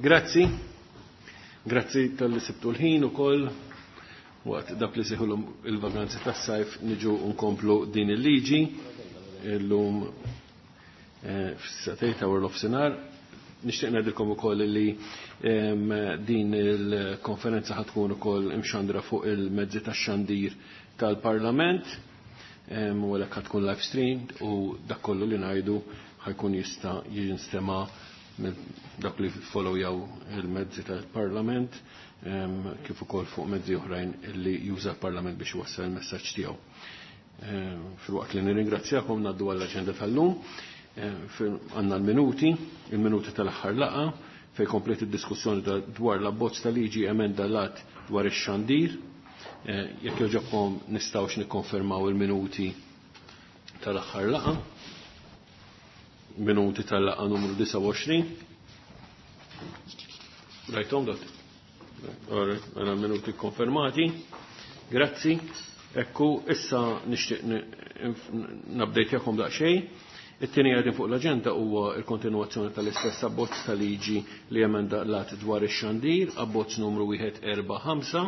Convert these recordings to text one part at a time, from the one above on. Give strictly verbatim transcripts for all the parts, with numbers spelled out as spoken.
Grazzi. Grazzi talli sibtu l-ħin ukoll waqt dak li seħulhom il-vaganzi tas-sajf niġu nkomplu din il-liġi illum eh, fis-sagħtejn ta' nofsinhar. Nixtieq ngħidilkom ukoll li din il-konferenza ħa tkun ukoll imxandra fuq il-mezzi tax-xandir tal-Parlament u għalhekk ħa tkun live streamed u dak kollu li ngħidu ħa jkun jista' jinstema' dak li followjaw il-mezzi tal-Parlament kif ukoll fuq mezzi oħrajn li juża l-Parlament biex iwassal il-messaġġ tiegħu. Filwaqt li nirringrazzjakom ngħaddu għall-aġenda tal-lum, għandna l-minuti, il-minuti tal-aħħar laqgħa fejn komplet id-diskussjoni dwar l-abbozz ta' liġi emenda l-att dwar ix-xandir. Jekk jogħġobkom nistgħux nikkonfermaw il-minuti tal-aħħar laqgħa. Minuti tal-laqgħa numru disgħa u għoxrin. Rajtom dat? Għana minuti konfermati. Grazzi. Ekku, issa nixtieq nabdejtjakom daqsxejn. It-tieni għadin fuq l-aġenda huwa l-kontinuazzjoni tal-istess abbozz ta' liġi li emenda l-att dwar ix-xandir, abbozz numru wieħed erba' ħamsa.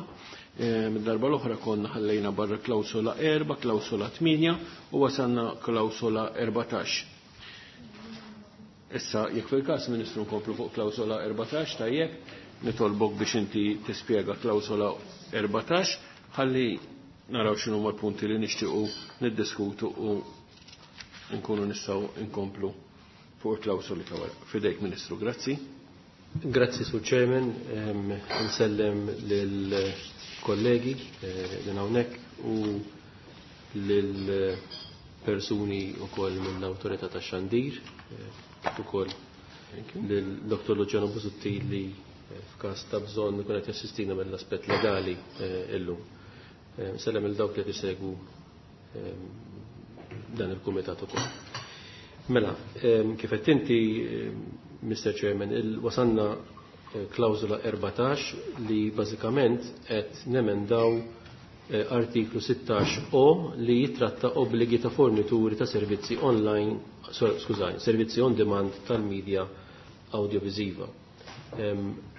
Mid-darba l-oħra konna ħallejna barra klawsola erba', klawsola tmienja u wasalna klawsola erbatax. Issa, jekk fil-każ, Ministru, nkomplu fuq klawsola erbatax, tajjeb, nitolbok biex inti tispjega klawsola erbatax, ħalli naraw x'inhu l-punti li nixtiequ niddiskutu u nkunu nistgħu nkomplu fuq il-klawsoli ta' wara. Fidejk, Ministru, grazzi. Grazzi, Sur Chairman, nsellem lill-kollegi li hawnhekk u lill-persuni wkoll mill-Awtorità tax-Xandir, kif ukoll lil Doktor Luciano Busuttil li f'każ ta' bżonn ikun qed jassistina mill-aspett legali illum. Nsellem lil dawk li qed isegwu dan il-kumitat ukoll. Mela, kif qed inti, Mister Chairman, wasanna klawżola erbatax li bażikament qed nemendaw artiklu sittax O li jitratta obbligi ta' fornituri ta' servizzi online, skużani, servizzi on demand tal-medja audiovisiva.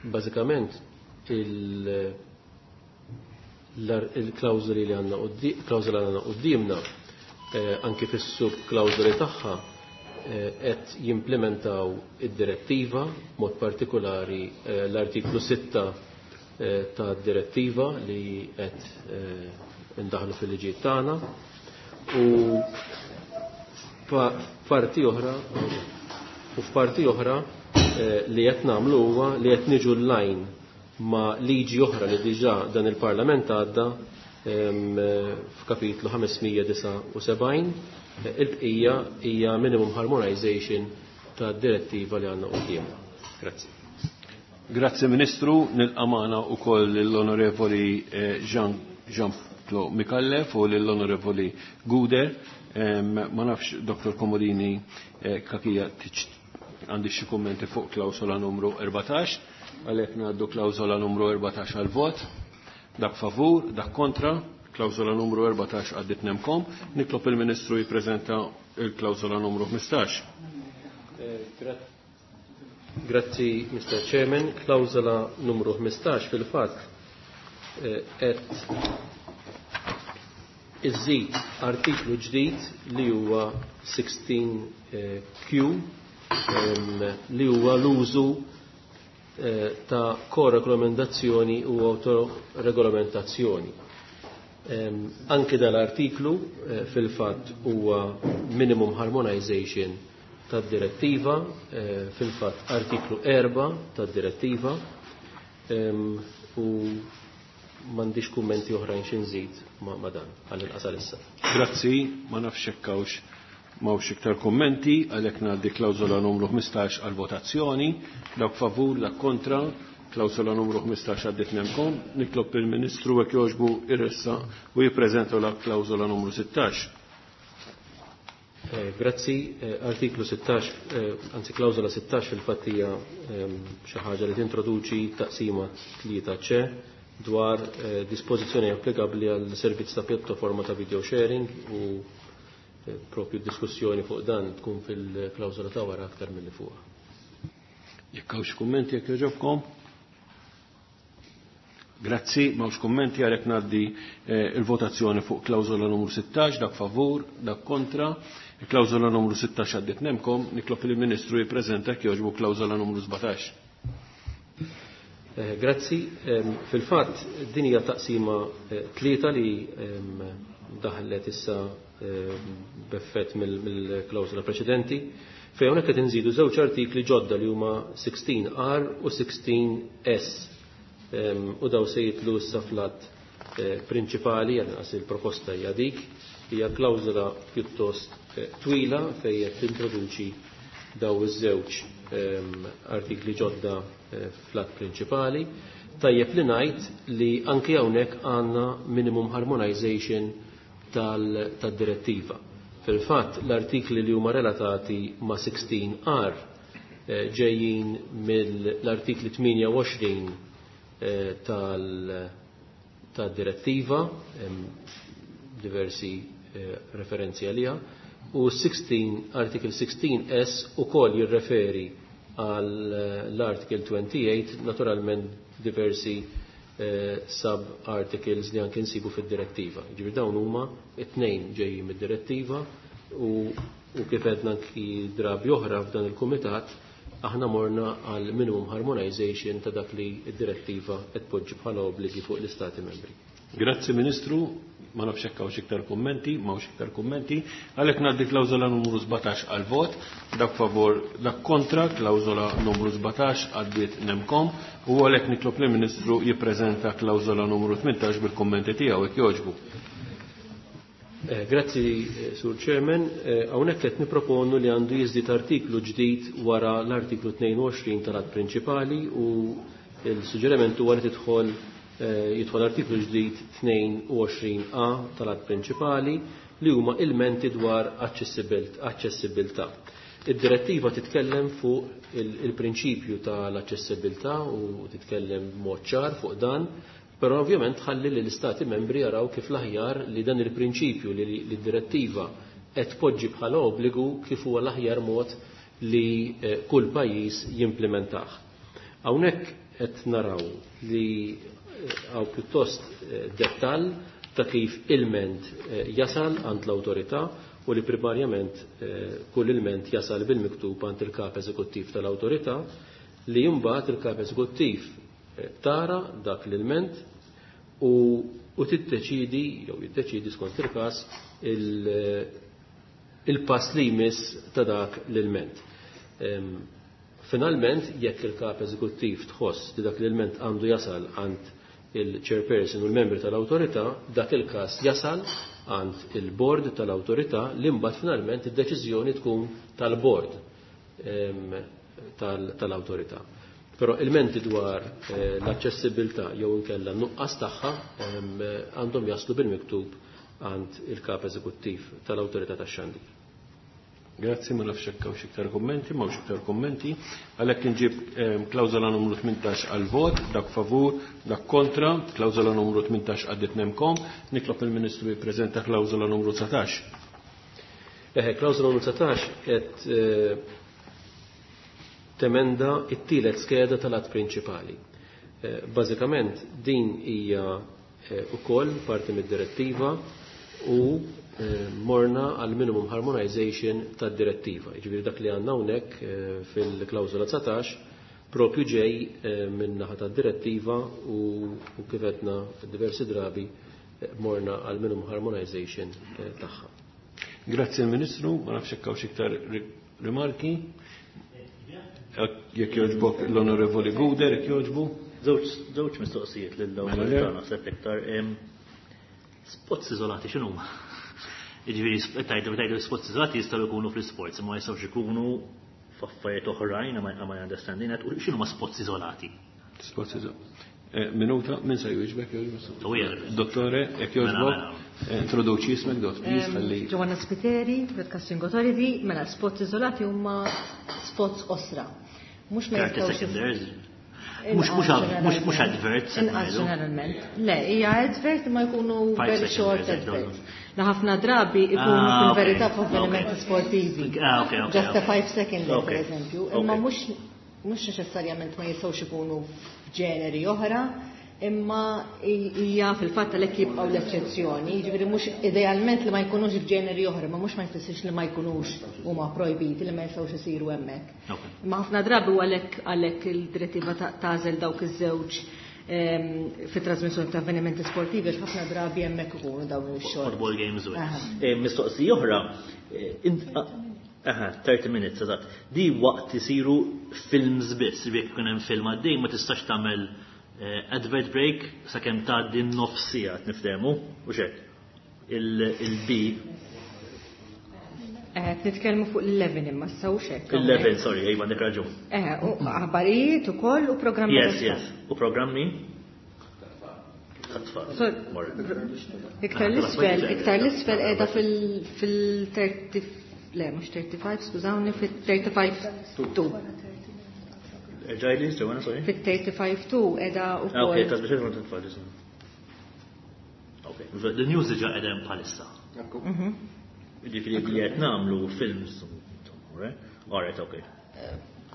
Bażikament il-klawżoli li għandna klawżola li għandna quddiemna, anki fis-sub-klawżoli tagħha, qed jimplementaw id-direttiva, mod partikolari l-artiklu sitta ta' direttiva li qed indaħlu fil-liġijiet tagħna, u parti oħra u f'parti oħra li qed nagħmlu huwa li qed niġu l-line ma' liġi oħra li diġà dan il-Parlament għadda f'kapitlu ħames mija disgħa u sebgħin. Il-bqija hija minimum harmonization ta' direttiva li għandna qudiemna. Grazzi. Grazzi, Ministru, nilqa' magħna wkoll l-Onorevoli Jean Jean-Claude Micallef u l-Onorevoli Guder. Ma nafx, Doktor Comodini Cachia, għandi xi kummenti fuq klawsola numru erbatax, għalhekk ngħaddu klawsola numru erbatax għal vot. Dak favur, dak kontra, klawsola numru erbatax għaddit nemkom. Nitlob il-Ministru jippreżenta il-klawsola numru ħmistax. Grazzi, Mister Chairman. Klawsola numru ħmistax fil-fatt qed iżid artiklu ġdid li huwa sixteen Q, li huwa l-użu ta' koregolamentazzjoni u autoregolamentazzjoni. Anki dal-artiklu fil-fatt huwa minimum harmonization tad-direttiva, fil-fatt artiklu erba' tad-direttiva, u m'għandix kummenti oħrajn xi nżid ma' dan għall-inqas issa. Grazzi, ma nafx hekk hawnx m'hawnx iktar kummenti, għalhekk ngħaddi klawżola numru ħmistax għal votazzjoni. Dak favur, dak kontra, klawżola numru ħmistax għaddit nemkom. Nitlob il-Ministru jekk jogħġbu irressa u jippreżenta la klawżola numru sittax. Grazzi, artiklu sittax, anzi klawżola sittax fil-fatt hija xi ħaġa li tintroduċi taqsima tlieta C dwar dispożizzjoni applikabbli għal servizz ta' pjattaforma ta' video sharing, u propju diskussjoni fuq dan tkun fil-klawżola ta' wara aktar milli fuqha. Jekk hawnx kummenti jekk jogħġobkom? Grazzi, m'hawnx kummenti, għalhekk ngħaddi eh, il-votazzjoni fuq klawżola numru sittax, dak favur, dak kontra. Il-klawżola numru sittax għaddiet nemkom, nitlob il-Ministru jippreżenta jekk jogħġbu klawżola numru sbatax. Eh, grazzi, ehm, fil-fatt din hija taqsima eh, tlieta li ehm, daħlet issa ehm, b'effett mill-klawżola preċedenti, fejn hawnhekk qed inżidu żewġ artikli ġodda li huma sixteen R u sixteen S. U daw se jitlu issa fl-att eh, prinċipali, għal il-proposta hija dik, hija klawżola pjuttost eh, twila fejn qed tintroduċi daw iż-żewġ artikli ġodda eh, fl-att prinċipali. Tajjeb li ngħid li anki hawnhekk għandna minimum harmonization tal-direttiva. Fil-fatt l-artikli li huma relatati ma' sixteen R ġejjin mill-artikli tmienja u għoxrin tal-direttiva, diversi referenzi għaliha, u sixteen, article sixteen S ukoll jirreferi għal l-article twenty-eight, naturalment diversi sub-articles li anke nsibu fid-direttiva. Ġifieri dawn huma it-tnejn ġejjin mid-direttiva u, u kif għedna anki drabi oħra f'dan il-kumitat, aħna morna għal minimum harmonization ta' dak li d-direttiva qed tpoġġi bħala obbligi fuq l-Istati membri. Grazzi Ministru, ma nafx hekk hawnx iktar kummenti, ma hawnx iktar kummenti, għalhekk ngħaddi klawżola numru sbatax għal vot, dak favor, dak kontra, klawżola numru sbatax għaddiet nemkom, u għalhekk nitlob lill-Ministru jippreżenta klawżola numru tmintax bil-kummenti tiegħu jekk jogħġbu. Eh, grazzi, eh, Sur Chairman. Eh, hawnhekk qed nipproponu li għandu jiżdied artiklu ġdid wara l-artiklu tnejn u għoxrin tal-att prinċipali u l-suġġeriment huwa li tidħol, eh, jidħol artiklu ġdid tnejn u għoxrin A tal-att prinċipali li huma ilmenti dwar aċċessibilità. Id-direttiva titkellem fuq il-prinċipju tal-aċċessibilità u titkellem b'mod ċar fuq dan, però ovvjament ħalli li l-Istati membri jaraw kif l-aħjar li dan il-prinċipju li d-direttiva qed tpoġġi bħala obbligu kif huwa l-aħjar mod li, eh, kull pajjiż jimplementah. Hawnhekk qed naraw li, eh, hawn pjuttost, eh, dettall ta' kif ilment, eh, jasal għand l-awtorità u li primarjament, eh, kull ilment jasal bil-miktub għand il-kap eżekuttiv tal-awtorità li mbagħad il-kap eżekuttiv, eh, tara dak l-ilment u, u tiddeċidi jew jiddeċidi skont il-każ il-, il-pass li jmiss ta' dak l-ilment. Em, finalment, jekk il-kap eżekuttiv tħoss li dak l-ilment għandu jasal għand il-chairperson u l-membri tal-awtorità, dak il-każ jasal għand il-board tal-awtorità li mbagħad finalment id-deċiżjoni tkun tal-board, em, tal-, tal-awtorità. Però ilmenti dwar, eh, l-aċċessibilità jew inkella n-nuqqas tagħha, em, għandhom jaslu bil-miktub għand il-kap eżekuttiv tal-awtorità tax-xandir. Grazzi, ma nafx hekk hawnx iktar kummenti, ma hawnx iktar kummenti. Għalhekk inġib, ehm, klawżola numru tmintax għal vot, dak favur, dak kontra, klawżola numru tmintax għaddiet nemkom, nitlob il-Ministru jippreżenta klawżola numru dsatax. Eħe, klawżola numru dsatax qed, eh, temenda it-tielet skeda tal-att prinċipali. Eh, bażikament din hija, eh, ukoll parti mid-direttiva u, eh, morna għal minimum harmonization tad-direttiva. Jiġifieri dak li għandna hawnhekk, eh, fil-klawżola dsatax propju ġej, eh, minn naħa tad-direttiva u, u kif għedna diversi drabi, eh, morna għal minimum harmonization, eh, tagħha. Grazzi l-Ministru, ma nafx hekk hawnx iktar ri-, rimarki. Jekk jogħġbok l-Onorevoli Gouder, jekk jogħġbu. Żewġ mistoqsijiet lill-awtorità Mela, naħseb iktar. Em, spots iżolati x'inhuma? Jiġifieri, sp-, tajdu, tajdu spots iżolati jistgħu jkunu fl-isports, imma jistgħux ikunu f'affarijiet oħrajn, am I, am I understanding that? U x'inhuma spots iżolati? Spots iżolati. Eh, minuta, min se jwieġbek, jogħġbok? U jgħid. Dottore, jekk jogħġbok, Mela, mela. eh, introduċi ismek, dott, please, Em, ħalli. Giovanna Spiteri, Broadcasting Authority, mela spots iżolati huma spots osra. Mhux ma Thirty jistgħux seconders. Inqas Mhux, mhux ad-, mhux, mhux ġeneralment. adverts, qed Inqas ngħidu. ġeneralment. Le, hija advert ma jkunu Five very seconds, short I don't adverts. know. La ħafna drabi ikunu Ah, fil-verità okay. f'avvenimenti Okay. sportivi. Ah, okay, okay, Just a okay. five second, per Okay. eżempju. Imma Okay. mhux Mhux neċessarjament ma jistgħux ikunu f'ġeneri oħra, imma hija fil-fatt għalhekk jibqgħu l-eċċezzjoni, jiġifieri mhux idealment li ma jkunux f'ġeneri oħra, ma mhux ma jfissirx li ma jkunux huma projbiti li ma jistgħux isiru hemmhekk. Imma ħafna drabi u għalhekk għalhekk il-direttiva tagħżel dawk iż-żewġ fit-trasmissjoni ta' avvenimenti sportivi, għax ħafna drabi hemmhekk ikunu dawn ix-xogħol. Football games u. Mistoqsija oħra, aha, thirty minutes, eżatt. Di waqt isiru films biss, jekk ikun hemm film għaddej ma tistax tagħmel advert break sakemm tgħaddi nofs siegħa niftehmu, u x'hekk. Il-B. Eh, nitkellmu fuq l-eleven imma issa u x'hekk. L-eleven, sorry, ejwa għandek raġun. Eh, u aħbarijiet ukoll u programmi. Yes, yes. U programmi? Iktar l-isfel, iktar l-isfel qiegħda fil-thirty, le, mhux thirty-five, skużawni, fil-thirty-five two. Ġajli, ġewana, sorry. Fil-thirty-five two qiegħda ukoll. Ok, trasmissjoni ta' tfal. Ok, the news diġà qiegħda hemm bħalissa. Ġifieri li qed nagħmlu films, all right, ok.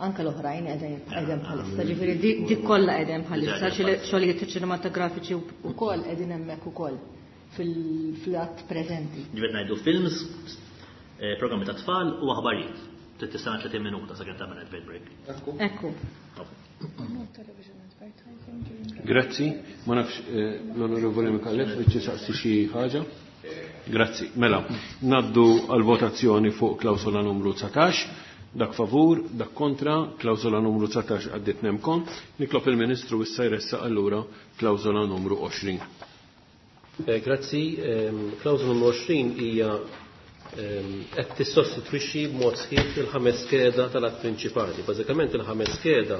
Anka l-oħrajn qegħdin bħalissa, ġifieri dik kollha qegħdin bħalissa, xogħlijiet ċinematografiċi wkoll qegħdin hemmhekk ukoll fil-att preżenti. Ġifieri ngħidu films, programmi ta' tfal u aħbarijiet. Tista' tletin minuta sakemm tagħmel advert break. Ekku. Grazzi, ma nafx l-Onorevoli Micallef biex tisaqsi xi ħaġa. Grazzi. Mela, naddu għal votazzjoni fuq klawsola numru dsatax. Dak favur, dak kontra, klawsola numru dsatax għaddit nemkom. Nitlob il-Ministru issa jressaq allura klawsola numru għoxrin. Grazzi, klawsola numru għoxrin hija qed tissostitwixxi b'mod sħiħ il-ħames skeda tal-att prinċipali. Bażikament il-ħames skeda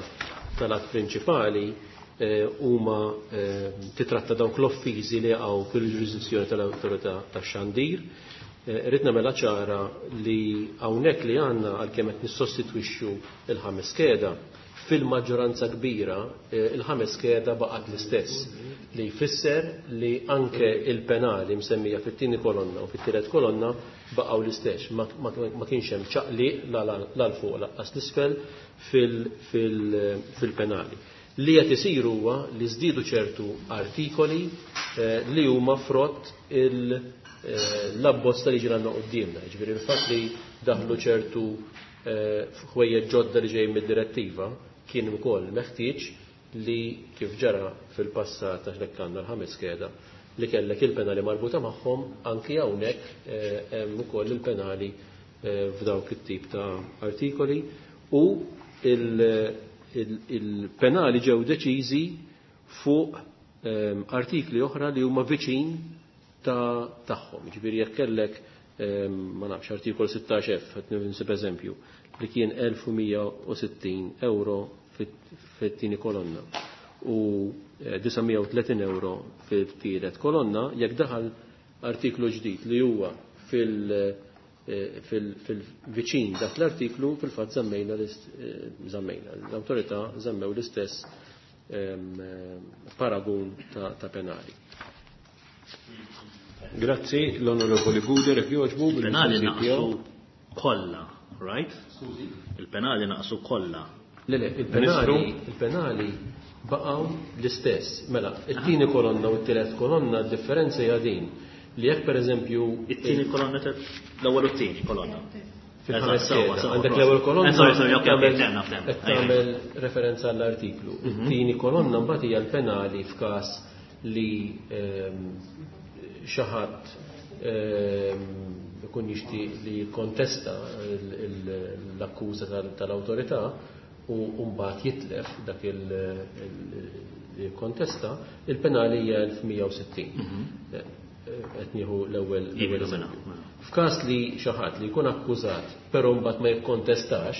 tal-att prinċipali huma titratta dawk l-offiżi li jaqgħu fil-ġurisdizzjoni tal-awtorità tax-xandir. Irrid nagħmilha ċara li hawnhekk li għandna għalkemm qed nissostitwixxu il-ħames skeda, fil-maġġoranza kbira il-ħames skeda baqgħet l-istess, li jfisser li anke il-penali msemmija fit-tieni kolonna u fit-tielet kolonna baqgħu l-istess, ma kienx hemm ċaqliq la l fuq lanqas l-isfel fil-penali. Li qed isir huwa li żdiedu ċertu artikoli li huma frott l-abbozz ta' liġi għandna quddiemna, jiġifieri il-fatt li daħlu ċertu ħwejjeġ ġodda li ġejjin mid-direttiva kien ukoll meħtieġ li kif ġara fil-passat għax hekk għandna l-ħames skeda li kellek il-penali marbuta magħhom, anki hawnhekk hemm ukoll il-penali f'dawk it-tip ta' artikoli u il-penali ġew deċiżi fuq artikli oħra li huma viċin ta' tagħhom. Jiġifieri jekk kellek ma nafx artikol sittax F, qed ninsib eżempju, li kien elf u mija u sittin euro fit-tieni kolonna u disa' mija u tletin euro fit-tielet kolonna, jekk daħal artiklu ġdid li huwa fil-viċin dak l-artiklu, fil-fatt żammejna żammejna l-awtorità żammew l-istess paragun ta' penali. Grazzi, l-Onorevoli Gouder, jekk jogħġbu Il-penali bil-mistoqsijiet tiegħu. naqsu kollha, right? Il-penali naqsu kollha. Le, le, il-penali, il-penali baqgħu l-istess. Mela, it-tieni kolonna u t-tielet kolonna d-differenza hija din li jekk pereżempju it-tieni kolonna l-ewwel u t-tieni kolonna. Fil-ħames Eżatt, sewwa, skeda. sewwa, Għandek prost. l-ewwel kolonna Eh, sorry, sorry, ok, ok, tagħmel ftemna, ftemna. qed tagħmel referenza għall-artiklu. It-tieni kolonna mbagħad hija l-penali f'każ li, ehm, xi ħadd, ehm, ikun jixtieq li jikkontesta l-, il-, l-akkuża tal-, tal-awtorità u mbagħad jitlef dak il-, il-, li jikkontesta, il-penali hija elf mija u sittin. Mhm. Qed nieħu l-ewwel Iva, l-ewwel mela, eżempju. mela. F'każ li xi ħadd li jkun akkużat però mbagħad ma jikkontestax,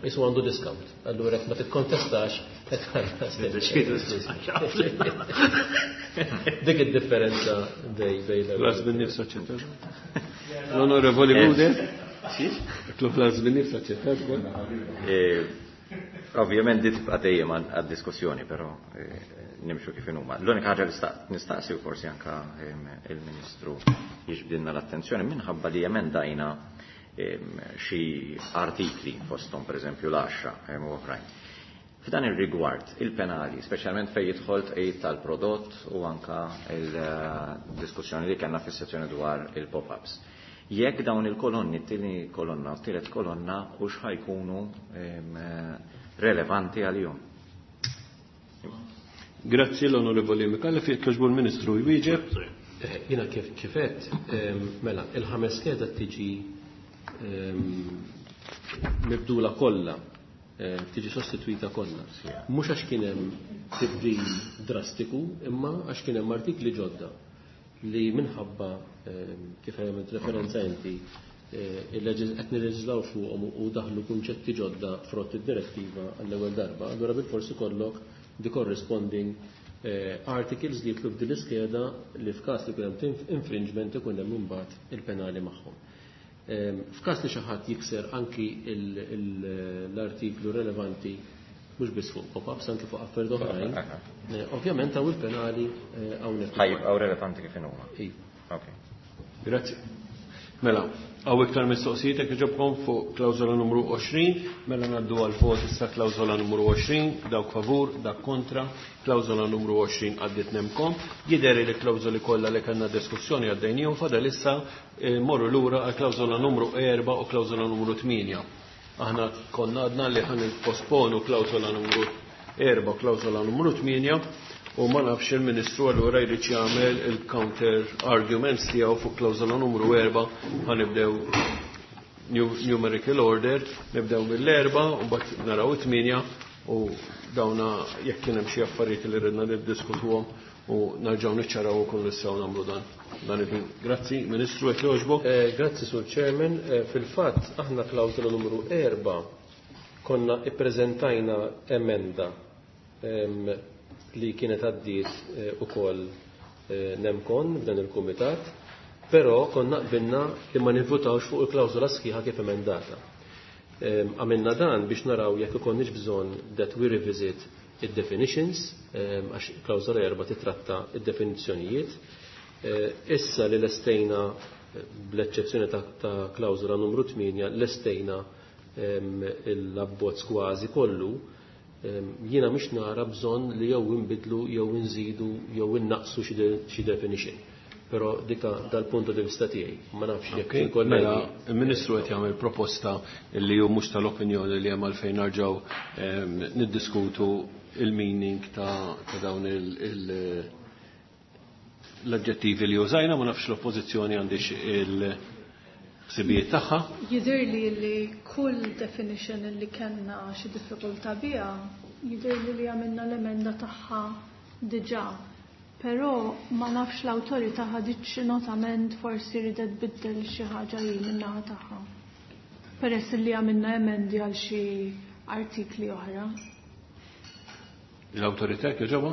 isu għandu discount. Allura jekk ma tikkontestax, qed tħallas. Dik id-differenza bej, bej l-ewwel. Las bin-nifs aċċettat. L-Onorevoli Gouder? Las bin-nifs aċċettat ukoll? Eh, ovvjament di tibqa' dejjem għad-diskussjoni, però, eh, nimxu kif inhuma. L-unika ħaġa li sta-, nistaqsi u forsi anka, ehm, il-Ministru jiġbdilna l-attenzjoni minħabba li emendajna, ehm, xi artikli fosthom pereżempju l-għaxra, ehm, u oħrajn. F'dan ir-rigward, il-penali, speċjalment fejn jidħol tqejjid tal-prodott u anka il-diskussjoni li kellna fis-sezzjoni dwar il-pop-ups. Jekk dawn il-kolonni, t-tieni kolonna u t-tielet kolonna, u x'ħajkunu relevanti għalihom. Grazzi l-Onorevoli Micallef, jekk jogħġbu l-Ministru jwieġeb. Jiena kif kifet, mela, il-ħames skeda tiġi mibdula kollha, tiġi sostituita kollha. Mhux għax kien hemm tibdil drastiku, imma għax kien hemm artikli ġodda li minħabba kif għamilt referenza inti qed nirreġislaw fuqhom u daħlu kunċetti ġodda frott id-direttiva għall-ewwel darba, allura bilforsi kollok the corresponding articles li jitlu f'din l-iskeda li f'każ li jkun hemm infringement ikun hemm imbagħad il-penali magħhom. F'każ li xi ħadd jikser anki l-artiklu relevanti mhux biss fuq pop-ups, anki fuq affarijiet oħrajn, ovvjament hawn il-penali hawnhekk. Ħajibqgħu relevanti kif huma. Iva. Grazzi. Mela, hawn iktar mistoqsijiet jekk iġobkom fuq klawżola numru għoxrin, mela ngħaddu għal vot issa klawżola numru għoxrin, dawk favur, dak kontra, klawżola numru għoxrin għaddiet nemkom. Jidher li klawżoli kollha li kellna diskussjoni għaddejnihom, fadal issa morru lura għal klawżola numru erba' u klawżola numru tmienja. Aħna konna għadna li ħan nipposponu klawżola numru erba' u klawżola numru tmienja u ma nafx il-Ministru allura jrid jagħmel il-counter arguments tiegħu fuq klawżola numru erba'. Ħanibdew numerical order, nibdew mill-erba' u mbagħad naraw it-tmienja u dawna jekk kien hemm xi affarijiet li ridna niddiskutuhom u nerġgħu niċċaraw ukoll nistgħu nagħmlu dan dan il-ħin. Grazzi, Ministru, jekk jogħġbok. Grazzi, Sur Chairman. Fil-fatt aħna klawżola numru erba' konna ippreżentajna emenda li kienet għaddiet ukoll nemkon f'dan il-kumitat, però konna qbilna li ma nivvutawx fuq il-klawżola sħiħa kif emendata. Għamilna dan biex naraw jekk ikonniex bżonn that we revisit id-definitions, għax klawżola erba' titratta id-definizzjonijiet. Issa li lestejna, bl-eċċezzjoni ta' klawżola numru tmienja, lestejna l-abbozz kważi kollu, jiena mhix nara bżonn li jew inbidlu jew inżidu jew innaqsu xi definition. Però dika dal-punt di vista tiegħi, ma nafx jekk il-kollegi. Mela, il-Ministru qed jagħmel proposta li hu mhux tal-opinjoni li hemm għalfejn narġgħu niddiskutu il-meaning ta' dawn l-aġġettivi li użajna, ma nafx l-oppożizzjoni għandix il-ħsibijiet tagħha. Jidher li li kull definition li kellna xi diffikultà biha, jidher li li għamilna l-emenda tagħha diġà. Però ma nafx l-awtorità ħaditx notament forsi ridet tbiddel xi ħaġa hi min-naħa tagħha. Peress li għamilna emendi għal xi artikli oħra. L-awtorità jogħġobha?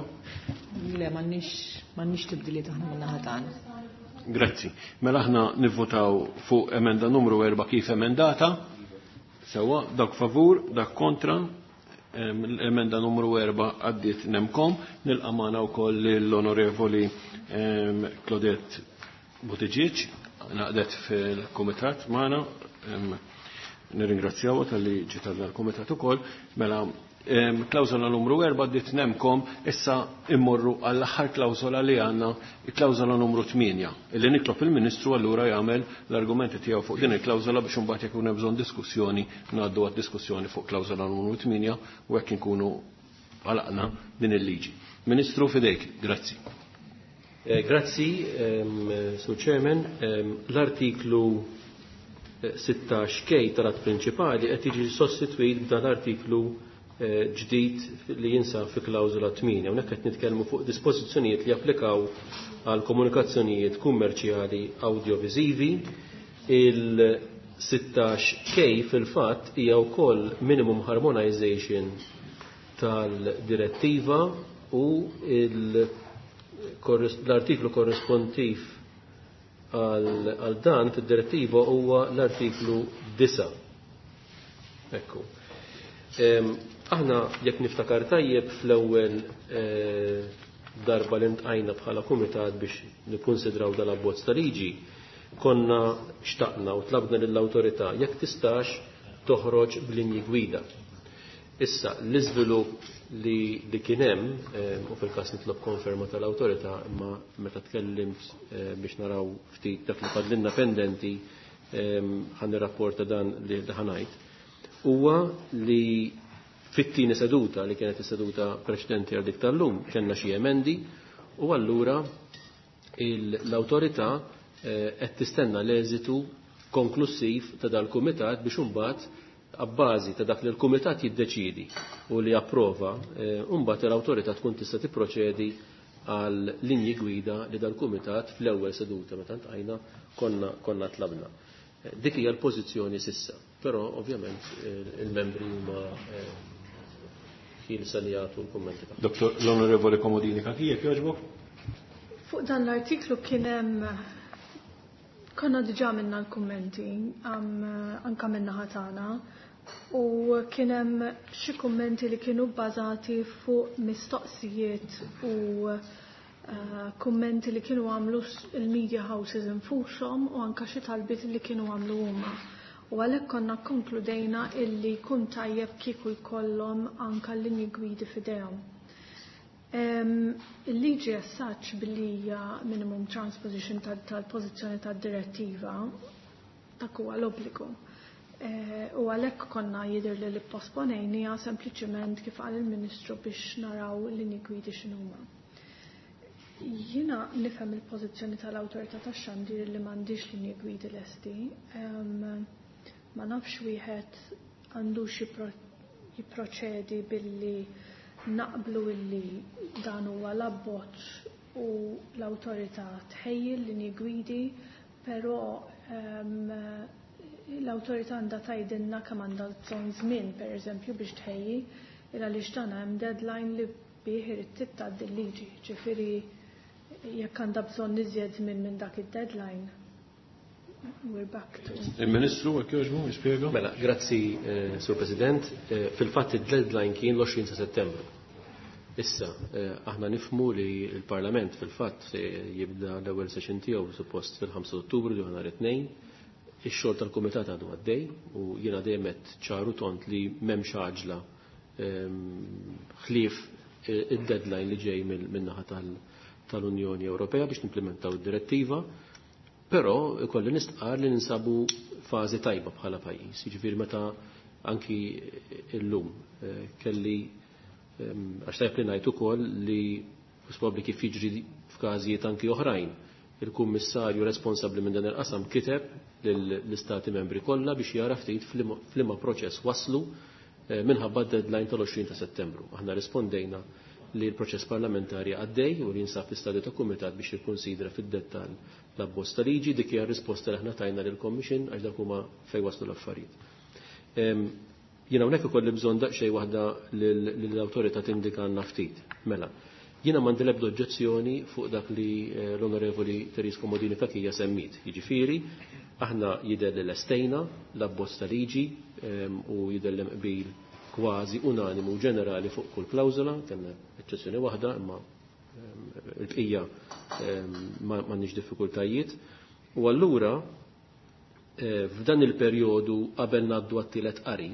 Le, m'għandniex m'għandniex tibdiliet aħna min-naħa tagħna. Grazzi. Mela aħna nivvotaw fuq emenda numru erba' kif emendata. Sewwa, dak favur, dak kontra. L-emenda numru erba' għaddiet nemkom. Nilqa' magħna wkoll l-Onorevoli Claudette Buttigieg, naqdet fil-kumitat magħna. Nirringrazzjawha talli ġiet għal kumitat ukoll. Mela klawżola numru erba' għaddiet nemkom, issa immorru għall-aħħar klawżola li għandna, il-klawżola numru tmienja, illi nitlob il-Ministru allura jagħmel l-argumenti tiegħu fuq din il-klawżola biex imbagħad jekk hemm bżonn diskussjoni ngħaddu għad-diskussjoni fuq klawżola numru tmienja u hekk inkunu għalaqna din il-liġi. Ministru, fidejk, grazzi. Grazzi, Sur Chairman. L-artiklu sittax K tal-att prinċipali qed jiġi sostitwit b'dan l-artiklu ġdid li jinsab fi klawżola tmienja. Hawnhekk qed nitkellmu fuq dispożizzjonijiet li japplikaw għal komunikazzjonijiet kummerċjali audiovisivi. Il sittax K fil-fatt hija wkoll minimum harmonization tal-direttiva u l-artiklu korrespontiv għal dan fid-direttiva huwa l-artiklu disa'. Ekku. Aħna jekk niftakar tajjeb fl-ewwel darba li ntqajna bħala kumitat biex nikkunsidraw dal-abbozz ta' liġi, konna xtaqna u tlabna lill-awtorità jekk tistax toħroġ b'linji gwida. Issa, l-iżvilupp li, li kien hemm, u fil-każ nitlob konferma tal-awtorità, imma meta tkellimt biex naraw ftit dak li fadlinna pendenti, ħan nirrapporta dan li ħanajt, huwa li fit-tieni seduta li kienet is-seduta preċedenti għal dik tal-lum kellna xi emendi u allura l-awtorità qed tistenna l-eżitu konklusiv ta' dal-kumitat biex imbagħad abbażi ta' dak li l-kumitat jiddeċidi u li approva, imbagħad l-awtorità tkun tista' tipproċedi għal linji gwida li dal-kumitat fl-ewwel seduta meta ntqajna konna konna tlabna. Dik hija l-pożizzjoni sissa, però ovvjament il-membri huma ħielsa li jagħtu l-kummenti tagħhom. Dottor l-Onorevoli Comodini Cachia, jogħġbok? Fuq dan l-artiklu kien hemm konna diġà minna l-kummenti anka minna ħatana u kien hemm xi kummenti li kienu bbażati fuq mistoqsijiet u uh, kummenti li kienu għamlu il-media houses infushom u anka xi talbiet li kienu għamlu huma. U għalhekk konna konkludejna illi jkun tajjeb kieku jkollhom anka l-linji gwidi f'idejhom. Il-liġi as such billi hija minimum transposition tal-pożizzjoni tad-direttiva dak huwa l-obbligu. U għalhekk konna jidher li li posponejnija sempliċement kif qal il-Ministru biex naraw l-linji gwidi x'inhuma. Jiena nifhem il-pożizzjoni tal-awtorità tax-xandir li m'għandix linji gwidi lesti. Ma nafx wieħed għandux jipproċedi billi naqblu illi dan huwa l-abbozz u l-awtorità tħejji l-linji gwidi, però l-awtorità għandha tgħidilna kemm għandha bżonn żmien pereżempju biex tħejji, il għaliex dan hemm deadline li bih irid titgħaddi l-liġi, ġifieri jekk għandha bżonn iżjed żmien minn dak id-deadline. We're back to... Il-Ministru, għak jogħġbu, jispjega? Mela, grazzi, eh, Sur President. Eh, fil-fatt id-deadline kien l-għoxrin ta' Settembru. Issa, eh, aħna nifmu li l-Parlament fil-fatt se jibda l-ewwel session tiegħu suppost fil-ħamsa Ottubru li nhar it-tnejn. Ix-xogħol tal-Kumitat għadu għaddej u jiena dejjem qed ċaru tont li m'hemmx għaġla ħlief id-deadline li ġej min-naħa tal-Unjoni Ewropea biex nimplementaw id-direttiva. Però ikolli nistqar li ninsabu fażi tajba bħala pajjiż. Jiġifieri meta anki illum kelli għax tajb li ngħid ukoll li probabbli kif jiġri f'każijiet anki oħrajn, il-kummissarju responsabbli minn dan il-qasam kiteb lill-istati membri kollha biex jara ftit f'liema proċess waslu minħabba d-deadline tal-għoxrin ta' Settembru. Aħna rispondejna li l-proċess parlamentari għaddej u li jinsab fl-istadju ta' kumitat biex jikkonsidra fid-dettall l-abbozz ta' liġi, dik hija r-risposta li aħna tajna lill-Commission għax dak huma fejn waslu l-affarijiet. Jiena hawnhekk ikolli bżonn daqsxejn waħda lill-awtorità tindika għandna ftit. Mela, jiena m'għandi l-ebda oġġezzjoni fuq dak li l-Onorevoli Therese Comodini Cachia semmit. Jiġifieri, aħna jidher li lestejna l-abbozz ta' liġi u jidher li qbil kważi unanimu ġenerali fuq kull klawżola, kellna eċċezzjoni waħda, imma l-bqija m'għandniex diffikultajiet. U allura f'dan il-perjodu qabel ngħaddu għat-tielet qari,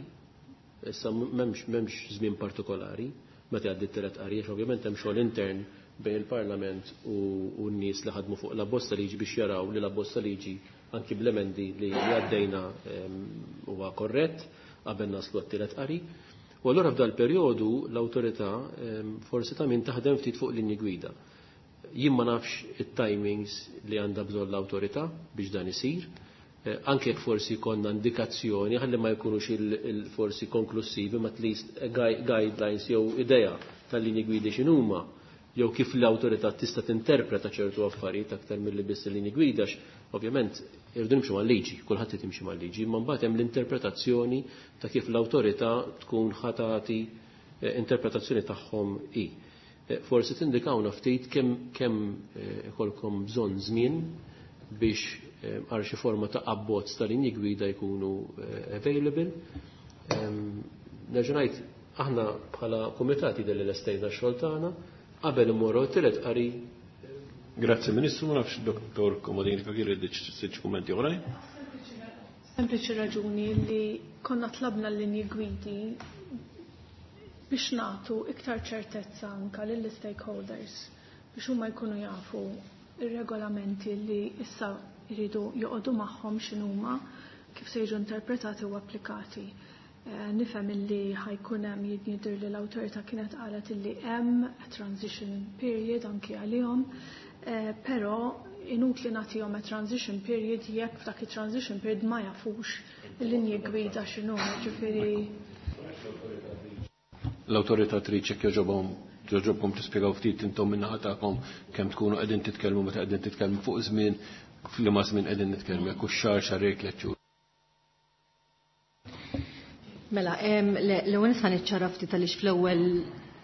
issa m'hemmx m'hemmx żmien partikolari meta jgħaddi t-tielet qari, għax ovvjament hemm xogħol intern bejn il-Parlament u n-nies li ħadmu fuq l-abbozz ta' liġi biex jaraw li l-abbozz ta' liġi anki bl-emendi li għaddejna huwa korrett qabel naslu għat-tielet qari. U allura f'dal perjodu l-awtorità forsi ta' min taħdem ftit fuq linji gwida. Jien ma nafx it-timings li għandha bżonn l-awtorità biex dan isir, anke jekk forsi konna indikazzjoni ħalli ma jkunux il-forsi konklusivi ma at least guidelines jew idea tal-linji gwidi x'inhuma, jew kif l-awtorità tista' tinterpreta ċertu affarijiet aktar milli biss il-linji gwida, ovvjament irridu nimxu mal-liġi, kulħadd irid jimxi mal-liġi, imma mbagħad hemm l-interpretazzjoni ta' kif l-awtorità tkun ħatati interpretazzjoni tagħhom hi. Forsi tindikawna ftit kemm kemm ikolkom bżonn żmien biex għal xi forma ta' abbozz ta' linji gwida jkunu available. Nerġa' ngħid aħna bħala kumitati jidher li lestejna x-xogħol tagħna qabel immorru t-tielet qari. Grazzi Ministru, ma nafx Dottor Comodini Cachia jrid xi kummenti oħrajn. Sempliċi raġuni li konna tlabna l-linji gwidi biex nagħtu iktar ċertezza anka lill-stakeholders biex huma jkunu jafu ir-regolamenti li issa jridu joqogħdu magħhom x'inhuma, kif se jiġu interpretati u applikati. Eh, nifhem illi ħa jkun hemm, jidher li l-awtorità kienet qalet illi hemm a transition period anki għalihom, eh, però inutli nagħtihom a transition period jekk f'dak it-transition period ma jafux il-linji gwida x'inhu, ġifieri. L-awtorità trid jekk jogħġobhom jogħġobkom tispjegaw ftit intom min-naħa tagħkom kemm tkunu qegħdin titkellmu, meta qegħdin titkellmu fuq żmien, f'liema żmien qegħdin nitkellmu, jekk hux xahar, xahrejn, tliet xhur. Mela, l-ewwel nista' niċċara ftit għaliex fl-ewwel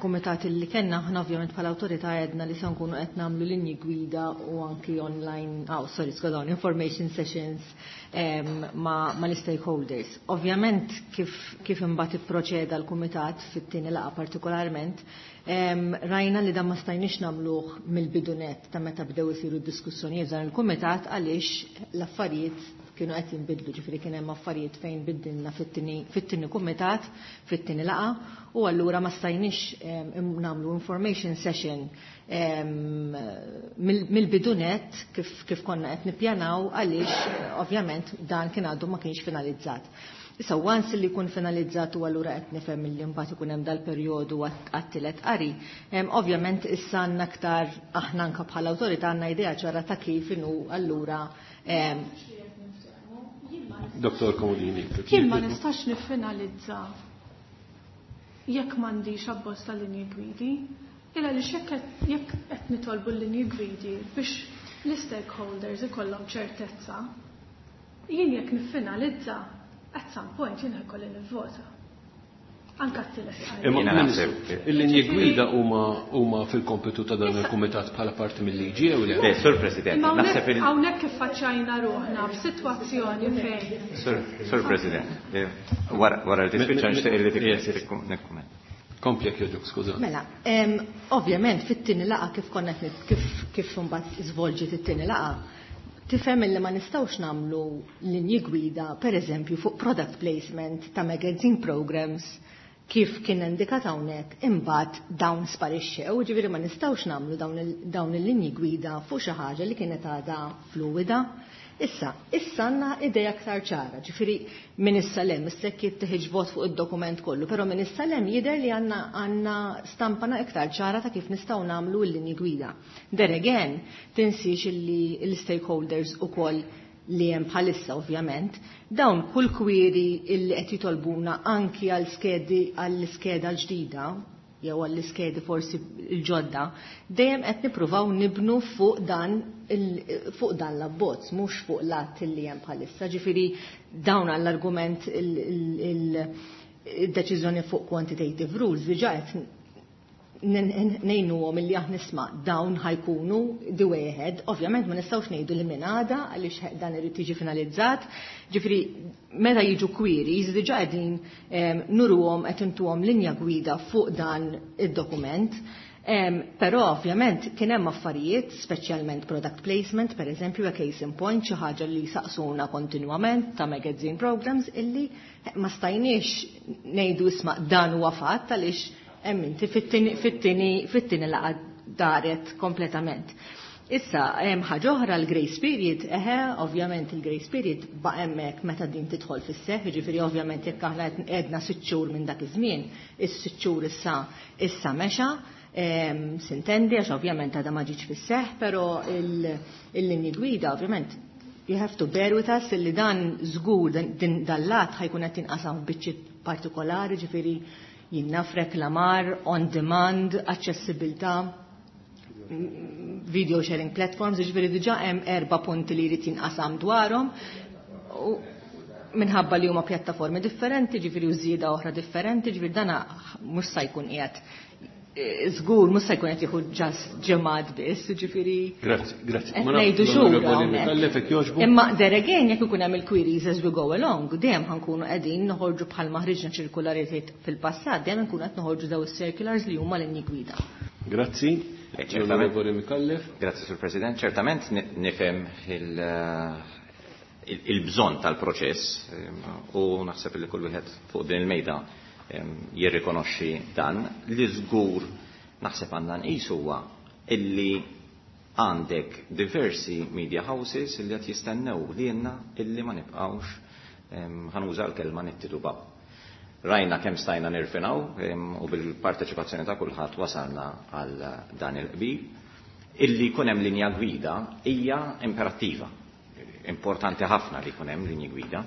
kumitat li kellna aħna ovvjament bħala awtorità għedna li se nkunu qed nagħmlu linji gwida u anki online, oh, sorry, skużawni, information sessions ma, ma l-stakeholders. Ovvjament kif, kif imbagħad ipproċeda l-kumitat fit-tieni laqgħa partikolarment, rajna li dan ma stajniex nagħmluh mill-bidunet ta' meta bdew isiru d-diskussjonijiet dan il-kumitat għaliex l-affarijiet kienu qed jinbidlu, ġifieri kien hemm affarijiet fejn biddilna fit-tieni kumitat, fit-tieni laqgħa, u allura ma stajniex nagħmlu information session mill-bidunet kif, kif konna qed nippjanaw għaliex ovvjament dan kien għadu ma kienx finalizzat. Issa once li jkun finalizzat u allura qed nifhem li mbagħad ikun hemm dal-perjodu għat-tielet qari, ovvjament issa għandna aktar aħna anke bħala awtorità għandna idea ċara ta' kif inhu allura. Doktor Comodini. Jien ma nistax niffinalizza jekk m'għandix abbozz ta' linji gwidi, illa li jekk qed nitolbu l-linji gwidi biex l-stakeholders ikollhom ċertezza, jien jekk niffinalizza at some point jien ħa jkolli nivvota. Anka t-tielet qari. Imma Jiena Ministru, naħseb- il-linji gwida huma huma fil-kompitu ta' dan il-kumitat bħala parti mill-liġi jew le? Le, Sur President, Imma naħseb il- hawnhekk kif faċċajna ruħna f'sitwazzjoni fejn Sur, Sur President, eh, wara wara li tispiċċa nixtieq li Yes, yes. nikkumment. Kompli jekk jogħġbok, skuża. Mela, em, ovvjament fit-tieni laqgħa kif konna qed nit- kif kif imbagħad żvolġiet it-tieni laqgħa, tifhem li ma nistgħux nagħmlu linji gwida, per eżempju, fuq product placement ta' magazine programs kif kien indikat hawnhekk, imbagħad dawn sparixxew, ġifieri ma nistgħux nagħmlu dawn il- dawn il-linji gwida fuq xi ħaġa li kienet għadha fluwida. Issa, issa għandna idea aktar ċara, ġifieri minn issa lem, issa jekk jittieħed vot fuq id-dokument kollu, però minn issa lem jidher li għandna għandna stampana iktar ċara ta' kif nistgħu nagħmlu l-linji gwida. There again, tinsiex illi l-stakeholders ukoll li hemm bħalissa ovvjament, dawn kull query illi qed jitolbuna anki għal skedi għall-iskeda l-ġdida jew għall-iskedi forsi l-ġodda, dejjem qed nippruvaw nibnu fuq dan il- fuq dan l-abbozz, mhux fuq l-att li hemm bħalissa. Ġifieri dawn għall-argument il-deċiżjoni fuq quantitative rules diġà qed ngħinuhom illi aħna nisma' dawn ħa jkunu the way ahead. Ovvjament ma nistgħux ngħidu li minn għada għaliex dan irid jiġi finalizzat. Ġifieri meta jiġu queries diġà qegħdin em, nuruhom qed intuhom linja gwida fuq dan id-dokument. Um, però ovvjament kien hemm affarijiet, speċjalment product placement, per eżempju, a case in point, xi ħaġa li saqsuna kontinwament ta' magazine programs illi ma stajniex ngħidu isma' dan huwa fatt għaliex hemm inti fit-tieni fit-tieni fit-tieni laqgħa daret kompletament. Issa, hemm ħaġa oħra, l-grace period, eħe, ovvjament il-grace period ba' hemmhekk meta din tidħol fis-seħħ, jiġifieri ovvjament jekk aħna għedna sitt xhur minn dak iż-żmien, is-sitt xhur issa issa mexa, em, sintendi għax ovvjament għadha ma ġietx fis-seħħ, però il-linji gwida ovvjament you have to bear with us illi dan żgur din dal-lat ħa jkun qed jinqasam f'biċċiet partikolari, ġifieri jinnaf reklamar, on demand, aċċessibilità, video sharing platforms, ġifieri diġà hemm erba' punti li jrid jinqasam dwarhom. U minħabba li huma pjattaformi differenti, ġifieri u żieda oħra differenti, ġifieri dana mhux se jkun qiegħed żgur mhux se jkun qed jieħu just ġimgħat biss, ġifieri Grazzi, grazzi. qed Ma nafx ngħidu xhur l-Onorevoli hawnhekk. Micallef jekk jogħġbu. Imma there again jekk ikun hemm il-queries as we go along, dejjem ħa nkunu qegħdin noħorġu bħalma ħriġna ċirkularitajiet fil-passat, dejjem nkunu qed noħorġu daw is-circulars li huma linji gwida. Grazzi. Eh, ċertament. L-Onorevoli Micallef. Grazzi, Sur President. Ċertament ni- nifhem il- il- il-bżonn tal-proċess em, u naħseb li kull wieħed fuq din il-mejda jirrikonoxxi dan. Li żgur naħseb għandna nqisu huwa illi għandek diversi media houses illi qed jistennew lilna illi ma nibqgħux, ħa nuża l-kelma, nittitubaw. Rajna kemm stajna nirfinaw u bil-parteċipazzjoni ta' kulħadd wasalna għal dan il-qbil. Illi jkun hemm linja gwida hija imperattiva. Importanti ħafna li jkun hemm linji gwida.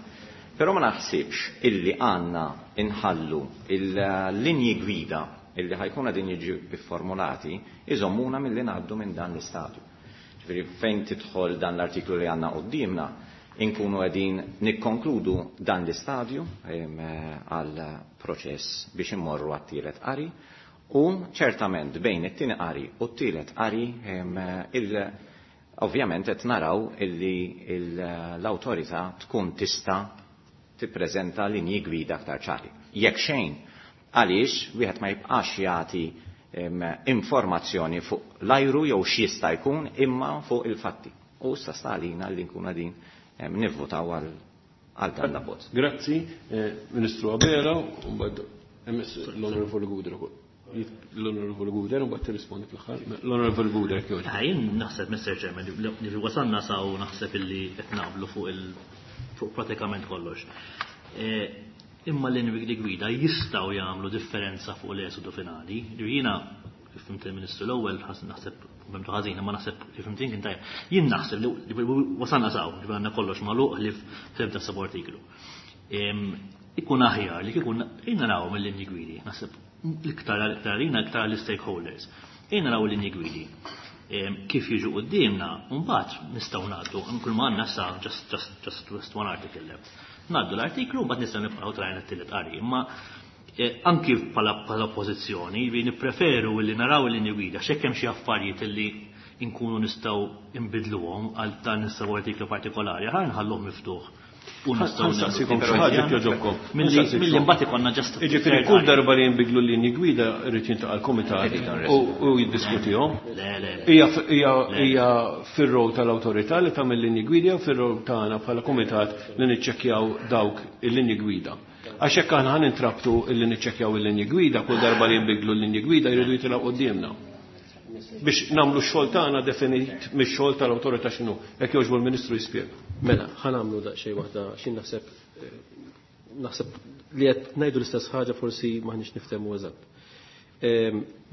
Però ma naħsibx illi għandna inħallu il-linji gwida illi ħa jkunu qegħdin jiġu formulati iżommuna milli ngħaddu minn dan l-istadju. Ġifieri fejn tidħol dan l-artiklu li għandna quddiemna, inkunu qegħdin nikkonkludu dan l-istadju għal proċess biex immorru għat-tielet qari, u ċertament bejn it-tieni qari u t-tielet qari il ovvjament qed naraw illi l-awtorità tkun tista' tippreżenta linji gwida aktar ċari. Jekk xejn, għaliex wieħed ma jibqax jagħti informazzjoni fuq l-ajru jew x'jista' jkun, imma fuq il-fatti. U issa sta għalina li nkunu qegħdin nivvotaw għal dan l-abbozz. Grazzi, Ministru Abela, u mbagħad l-Onorevoli Gouder ukoll. L-Onorevoli Gouder, u mbagħad tirrispondi fl-aħħar. L-Onorevoli Gouder, kif Jien naħseb, Mister Chairman, li wasalna saw naħseb illi qed naqblu fuq il fuq pratikament kollox. Imma l-linji gwida jistgħu jagħmlu differenza fuq l-eżodu finali. Jiena kif fhimt il-Ministru l-ewwel, naħseb fhimtu ħażin, imma naħseb kif fhimt kien tajjeb. Jien naħseb li wasalna saw, li għandna kollox magħluq li f'ebda subartiklu. Ikun aħjar li kieku jiena naraw mill-linji gwidi, naħseb l-iktar għalina, iktar l-stakeholders. Jiena naraw l-linji gwidi kif jiġu quddiemna, mbagħad nistgħu ngħaddu, kull ma għandna sa just just just just one article left. Ngħaddu l-artiklu, mbagħad nistgħu nibqgħu trajna t-tielet qari. Imma anki bħala oppożizzjoni li nippreferu li naraw il-linji gwida, x'hekk hemm xi affarijiet li nkunu nistgħu nbidluhom għal dan is artiklu partikolari, ħa nħalluh miftuħ. U nistgħu Nsaqsikom xi ħaġa jogħġobkom. Milli mbagħad ikollna just Jiġifieri kull darba li jinbidlu l-linji gwida irid jiltaqa' l-kumitat u jiddiskutihom. Le, le. Hija fir-rol tal-awtorità li tagħmel linji gwida u fir-rol tagħna bħala kumitat li niċċekkjaw dawk il-linji gwida. Għax hekk aħna ħa nintrabtu illi niċċekkjaw il-linji gwida, kull darba li jinbidlu l-linji gwida jridu jitilgħu quddiemna. Biex nagħmlu x-xogħol tagħna definit mix-xogħol tal-awtorità x'inhu. Jekk jogħġbu l-Ministru jispjega. Mela, ħa nagħmlu daqsxejn waħda x'in naħseb naħseb li qed ngħidu l-istess ħaġa, forsi m'aħniex niftehmu eżatt.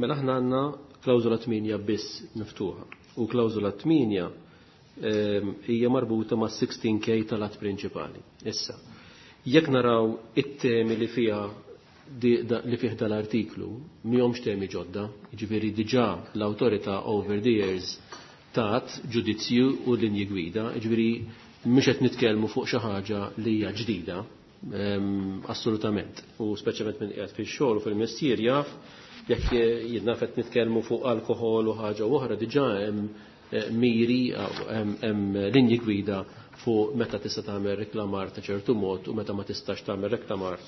Mela aħna għandna klawżola tmienja biss miftuħa u klawżola tmienja hija marbuta ma' sittax K tal-att prinċipali. Issa, jekk naraw it-temi li fiha li fih dal-artiklu, mhumiex temi ġodda, jiġifieri diġà l-awtorità over the years tat ġudizzju u linji gwida, jiġifieri mhux qed nitkellmu fuq xi ħaġa li hija ġdida, assolutament. U speċjalment minn qiegħed fix-xogħol u fil-mestier jaf jekk jien qed nitkellmu fuq alkoħol u ħaġa oħra, diġà hemm miri, hemm linji gwida fuq meta tista' tagħmel reklamar ta' ċertu mod u meta ma tistax tagħmel reklamar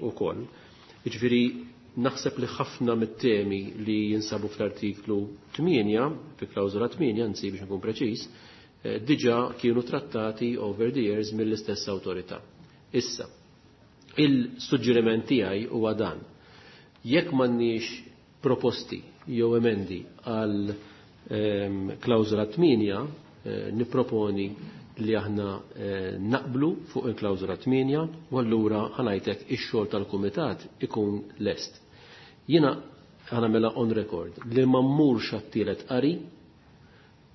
ukoll. Jiġifieri naħseb li ħafna mit-temi li jinsabu fl-artiklu tmienja, fi klawżola tmienja, anzi biex nkun preċiż, diġà kienu trattati over the years mill-istess awtorità. Issa, il-suġġeriment tiegħi huwa dan. Jekk m'għandniex proposti jew emendi għal klawżola tmienja, nipproponi li aħna naqblu fuq il-klawżola tmienja u allura ħa ngħidlek ix-xogħol tal-kumitat ikun lest. Jiena ħa nagħmilha on record li ma mmurx għat-tielet qari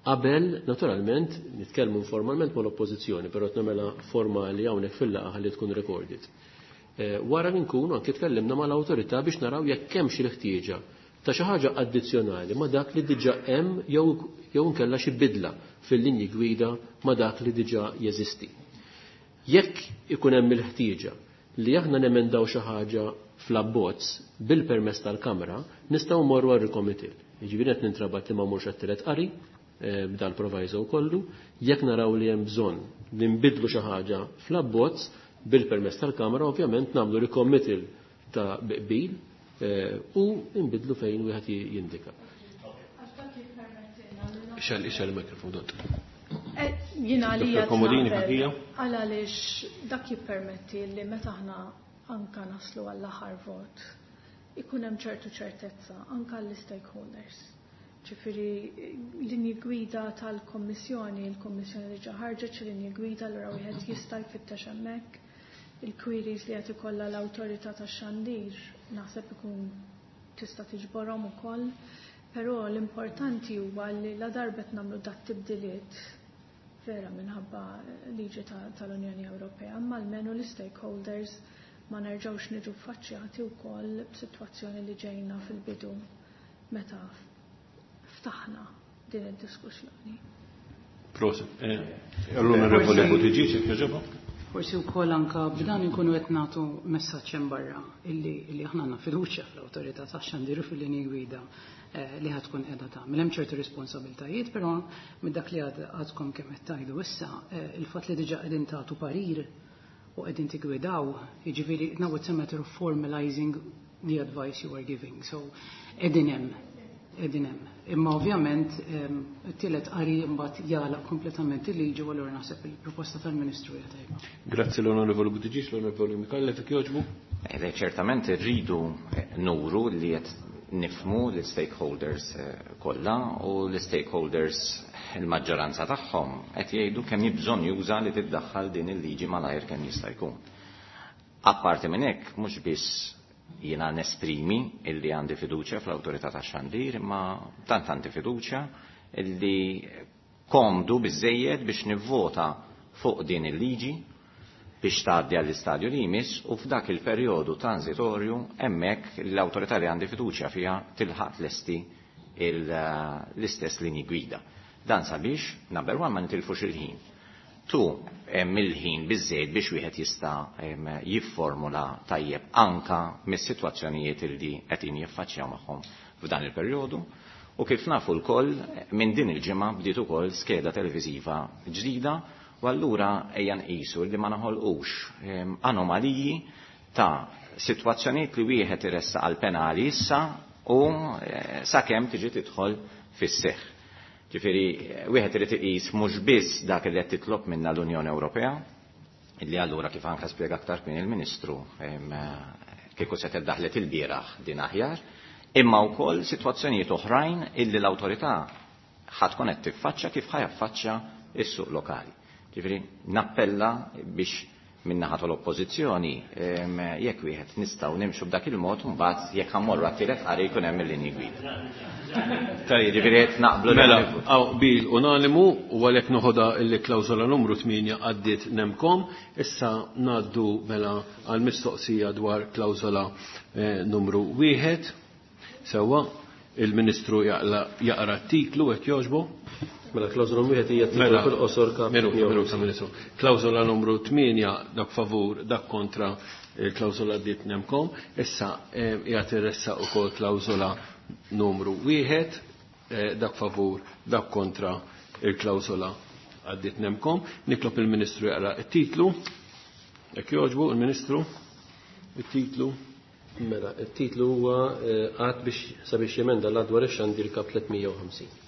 qabel, naturalment, nitkellmu informalment mal-oppożizzjoni, però qed nagħmilha formali hawnhekk fil-laqgħa ħalli tkun recorded. Wara li nkunu anke tkellimna mal-awtorità biex naraw jekk hemm xi ħtieġa ta' xi ħaġa addizzjonali ma' dak li diġà hemm jew jew inkella xi bidla fil-linji gwida ma' dak li diġà jeżisti. Jekk ikun hemm il-ħtieġa li aħna nemendaw xi ħaġa fl-abbozz bil-permess tal-Kamra, nistgħu mmorru għal recommittal. Jiġifieri qed nintrabat li ma mmurx għat-tielet qari b'dal proviso kollu, jekk naraw li hemm bżonn li nbidlu xi ħaġa fl-abbozz bil-permess tal-Kamra, ovvjament nagħmlu recommittal ta' qbil u nbidlu fejn wieħed jindika. Ixgħel ixgħel il-mikrofon, dott. Jina li Dottor Comodini, Cachia. Għal għaliex dak jippermetti li meta aħna anka naslu għall-aħħar vot, ikun hemm ċertu ċertezza anka l-stakeholders. Ġifieri linji gwida tal-Kommissjoni, il-Kommissjoni diġà ħarġet xi linji gwida allura wieħed jista' jfittex hemmhekk il-queries li qed ikollha l-awtorità tax-xandir naħseb ikun tista' tiġborhom ukoll, però l-importanti huwa li la darbet nagħmlu dat tibdiliet vera minħabba liġi tal-Unjoni Ewropea, imma almenu l-stakeholders ma nerġgħux niġu ffaċċjati wkoll b'sitwazzjoni li ġejna fil-bidu meta ftaħna din id-diskussjoni. Prosit. L-Onorevoli Buttigieg, jekk jogħġobok. Forsi wkoll anka b'dan inkunu qed nagħtu messaġġ hemm barra illi illi aħna għandna fiduċja fl-awtorità tax-xandir u fil-linji gwida li ħad tkun qiegħda tagħmel. Hemm ċertu responsabiltajiet, però minn dak li għadkom kemm qed tgħidu issa, il-fatt li diġà qegħdin tagħtu parir u qegħdin tigwidaw, jiġifieri now it's a matter of formalizing the advice you are giving. So qegħdin hemm, qegħdin hemm. Imma ovvjament it-tielet qari mbagħad jagħlaq kompletament il-liġi u allura naħseb il-proposta tal-Ministru hija tajba. Grazzi l-Onorevoli Buttigieg, l-Onorevoli Micallef, jekk jogħġbu. Ċertament irridu nuru li qed nifmu l-stakeholders kollha u l-stakeholders il-maġġoranza tagħhom qed jgħidu kemm hi bżonn juża li tiddaħħal din il-liġi malajr kemm jista' jkun. Apparti minn hekk mhux biss jiena nesprimi illi għandi fiduċja fl-awtorità tax-xandir, imma tant għandi fiduċja illi komdu biżejjed biex nivvota fuq din il-liġi biex tgħaddi għall-istadju li jmiss u f'dak il-perjodu transitorju hemmhekk l-awtorità li għandi fiduċja fiha tilħaq lesti l-istess linji gwida. Dan sabiex, number one, ma nitilfux il-ħin. Two, hemm il-ħin biżejjed biex wieħed jista' jifformula tajjeb anka mis-sitwazzjonijiet li qegħdin jiffaċċjaw magħhom f'dan il-perjodu. U kif nafu lkoll, minn din il-ġimgħa bdiet ukoll skeda televiżiva ġdida u allura ejja nqisu li ma naħolqux anomaliji ta' sitwazzjonijiet li wieħed iressaq għal penali issa u sakemm tiġi tidħol fis-seħħ. Ġifieri wieħed irid iqis mhux biss dak li qed titlob minna l-Unjoni Ewropea, illi allura kif anke spjega aktar kien il-Ministru kieku se tiddaħlet il-bieraħ din aħjar, imma wkoll sitwazzjonijiet oħrajn illi l-awtorità ħa tkun qed tiffaċċja kif ħa jaffaċċja s-suq lokali. Ġifieri nappella biex min-naħa tal-oppożizzjoni jekk wieħed nistgħu nimxu b'dak il-mod mbagħad jekk ħammorru għat-tielet qari jkun hemm il-linji gwida. Tajjeb. Ġifieri qed naqblu Mela, hawn qbil unanimu u għalhekk noħodha il-klawżola numru tmienja għaddiet nemkom. Issa ngħaddu mela għall-mistoqsija dwar klawżola numru wieħed. Sewwa, il-Ministru jaqra t-titlu hekk jogħġbu. Mela klawżola numru wieħed hija titlu fil-qosor kap. Minuta, minuta, Ministru. Klawżola numru tmienja dak favur, dak kontra, il-klawżola għaddiet nemkom. Issa qiegħed irressaq ukoll klawżola numru wieħed, dak favur, dak kontra, il-klawżola għaddiet nemkom. Nitlob il-Ministru jaqra t-titlu. Jekk jogħġbu il-Ministru, it-titlu. Mela, it-titlu huwa għad biex sabiex jemenda l-att dwar ix-xandir kap tliet mija u ħamsin.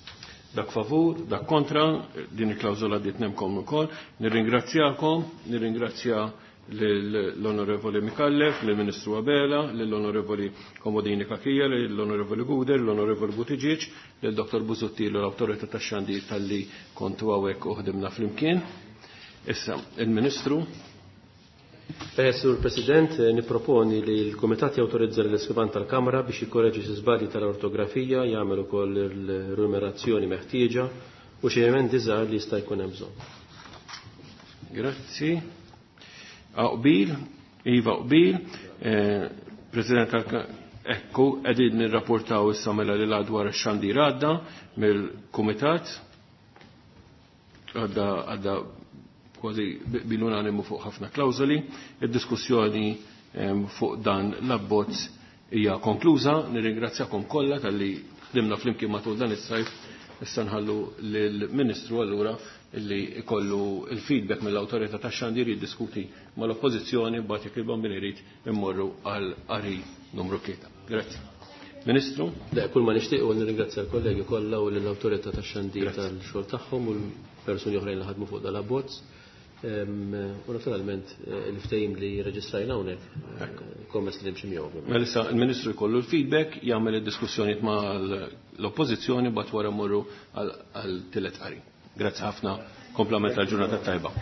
Dak favur, dak kontra, din il-klawżola għaddiet nemkom ukoll. Nirringrazzjakom, nirringrazzja l-Onorevoli Micallef, lill-Ministru Abela, lill-Onorevoli Comodini Cachia, lill-Onorevoli Gouder, l-Onorevoli Buttigieg, lill-Dottor Busuttil u l-Awtorità tax-Xandir talli kontu hawnhekk u ħdimna flimkien. Issa, il-Ministru. Sur President, niproponi li l-Kumitat jawtorizza l-Iskrivan tal-Kamra biex jikkoreġi xi żbalji tal-ortografija, jagħmel ukoll il-numerazzjoni meħtieġa u xi emendi żgħar li jista' jkun hemm bżonn. Grazzi. Qbil, iva qbil, President tal-Kamra, ekku, qegħdin nirrapportaw issa mela li dwar ix-xandir għadda mill-Kumitat, għadda għadda kważi bil-unanimu fuq ħafna klawżoli. Id-diskussjoni fuq dan l-abbozz hija konkluża. Nirringrazzjakom kollha talli ħdimna flimkien matul dan is-sajf. Issa nħallu lill-Ministru allura illi ikollu il-feedback mill-awtorità tax-xandir jiddiskuti mal-oppożizzjoni mbagħad jekk il-Bambin irid immorru għal qari numru tlieta. Grazzi. Ministru? Le, kull ma nixtieq huwa nirringrazzja l-kollegi kollha u lill-awtorità tax-xandir tal-xogħol tagħhom u l-persuni oħrajn li ħadmu fuq dal-abbozz. U naturalment eh, il-ftehim li reġistrajna hawnhekk eh, kommess li nimxi miegħu. Mela issa il-Ministru jkollu l-feedback, jagħmel id-diskussjonijiet ma' l-Oppożizzjoni, bat wara mmorru għal tielet qari. Grazzi ħafna, komplament tal-ġurnata tajba.